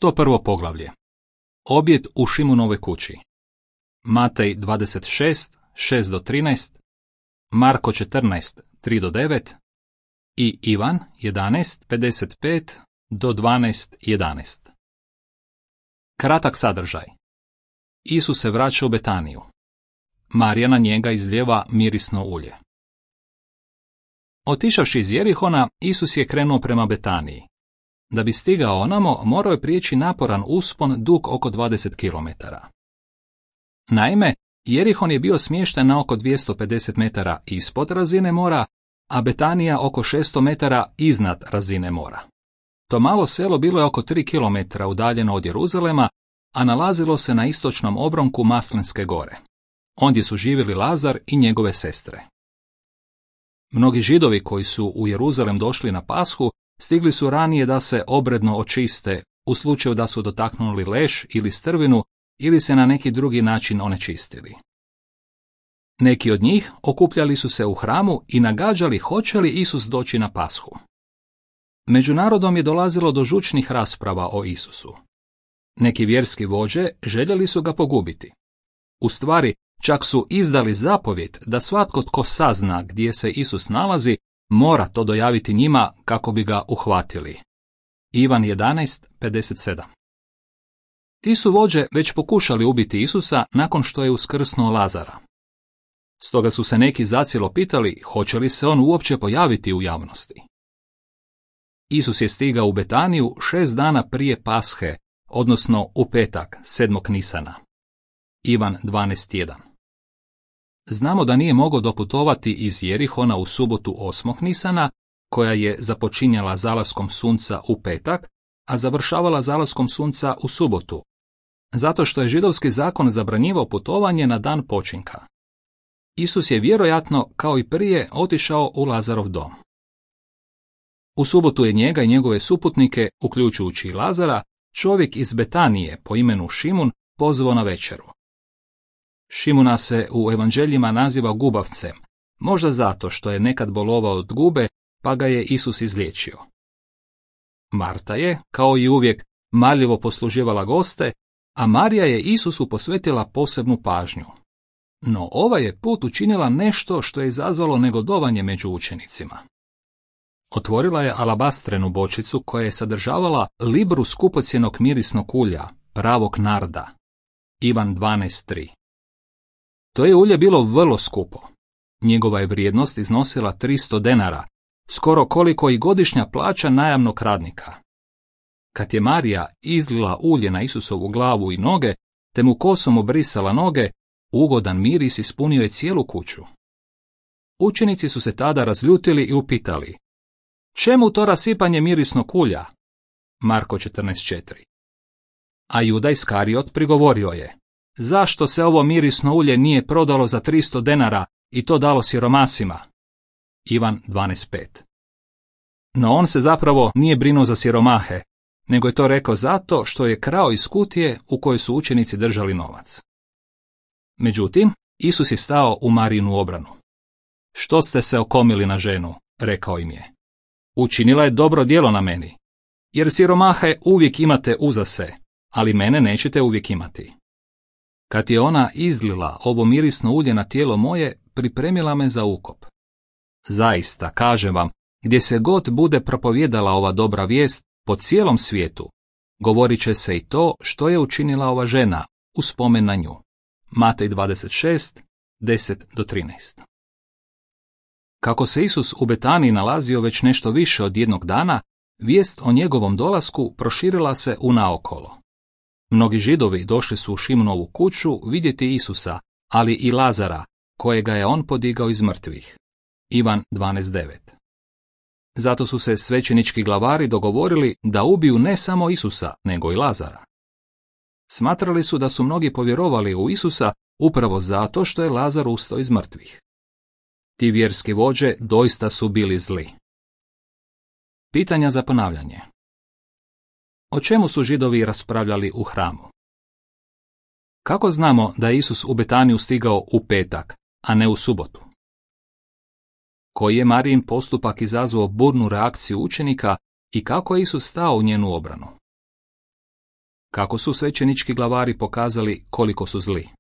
101. poglavlje. Objed u Šimunovoj kući. Matej 26, 6-13, Marko 14, 3-9 i Ivan 11, 55-12:11. Kratak sadržaj. Isus se vraća u Betaniju. Marija na njega izlijeva mirisno ulje. Otišavši iz Jerihona, Isus je krenuo prema Betaniji. Da bi stigao onamo, morao je prijeći naporan uspon dug oko 20 km. Naime, Jerihon je bio smješten na oko 250 metara ispod razine mora, a Betanija oko 600 metara iznad razine mora. To malo selo bilo je oko 3 km udaljeno od Jeruzalema, a nalazilo se na istočnom obronku Maslinske gore. Ondje su živjeli Lazar i njegove sestre. Mnogi Židovi koji su u Jeruzalem došli na Pashu stigli su ranije da se obredno očiste u slučaju da su dotaknuli leš ili strvinu ili se na neki drugi način onečistili. Neki od njih okupljali su se u hramu i nagađali hoće li Isus doći na Pashu. Među narodom je dolazilo do žučnih rasprava o Isusu. Neki vjerski vođe željeli su ga pogubiti. U stvari, čak su izdali zapovjed da svatko tko sazna gdje se Isus nalazi, mora to dojaviti njima kako bi ga uhvatili. Ivan 11:57. Ti su vođe već pokušali ubiti Isusa nakon što je uskrsnuo Lazara. Stoga su se neki zacijelo pitali hoće li se on uopće pojaviti u javnosti. Isus je stigao u Betaniju 6 dana prije Pashe, odnosno u petak, 7. Nisana. Ivan 12:1. Znamo da nije mogao doputovati iz Jerihona u subotu 8. Nisana, koja je započinjala zalaskom sunca u petak, a završavala zalaskom sunca u subotu, zato što je židovski zakon zabranjivao putovanje na dan počinka. Isus je vjerojatno, kao i prije, otišao u Lazarov dom. U subotu je njega i njegove suputnike, uključujući i Lazara, čovjek iz Betanije po imenu Šimun pozvao na večeru. Šimuna se u evanđeljima naziva gubavcem, možda zato što je nekad bolovao od gube, pa ga je Isus izliječio. Marta je, kao i uvijek, marljivo posluživala goste, a Marija je Isusu posvetila posebnu pažnju. No ova je put učinila nešto što je izazvalo negodovanje među učenicima. Otvorila je alabastrenu bočicu koja je sadržavala libru skupocjenog mirisnog ulja, pravog narda. Ivan 12:3. To je ulje bilo vrlo skupo. Njegova je vrijednost iznosila 300 denara, skoro koliko i godišnja plaća najamnog radnika. Kad je Marija izlila ulje na Isusovu glavu i noge, te mu kosom obrisala noge, ugodan miris ispunio je cijelu kuću. Učenici su se tada razljutili i upitali: čemu to rasipanje mirisnog ulja? Marko 14:4. A Juda Iskariot prigovorio je: zašto se ovo mirisno ulje nije prodalo za 300 denara i to dalo siromasima? Ivan 12:5. No on se zapravo nije brinuo za siromahe, nego je to rekao zato što je krao iz kutije u kojoj su učenici držali novac. Međutim, Isus je stao u Marijinu obranu. Što ste se okomili na ženu, rekao im je. Učinila je dobro djelo na meni, jer siromahe uvijek imate uzase, ali mene nećete uvijek imati. Kad je ona izlila ovo mirisno ulje na tijelo moje, pripremila me za ukop. Zaista, kažem vam, gdje se god bude propovjedala ova dobra vijest po cijelom svijetu, govorit će se i to što je učinila ova žena u spomen na nju. Matej 26, 10-13. Kako se Isus u Betaniji nalazio već nešto više od jednog dana, vijest o njegovom dolasku proširila se unaokolo. Mnogi Židovi došli su u Šimunovu kuću vidjeti Isusa, ali i Lazara, kojega je on podigao iz mrtvih. Ivan 12:9. Zato su se svećenički glavari dogovorili da ubiju ne samo Isusa, nego i Lazara. Smatrali su da su mnogi povjerovali u Isusa upravo zato što je Lazar ustao iz mrtvih. Ti vjerski vođe doista su bili zli. Pitanja za ponavljanje. O čemu su Židovi raspravljali u hramu? Kako znamo da je Isus u Betaniju stigao u petak, a ne u subotu? Koji je Marijin postupak izazvao burnu reakciju učenika i kako je Isus stao u njenu obranu? Kako su svećenički glavari pokazali koliko su zli?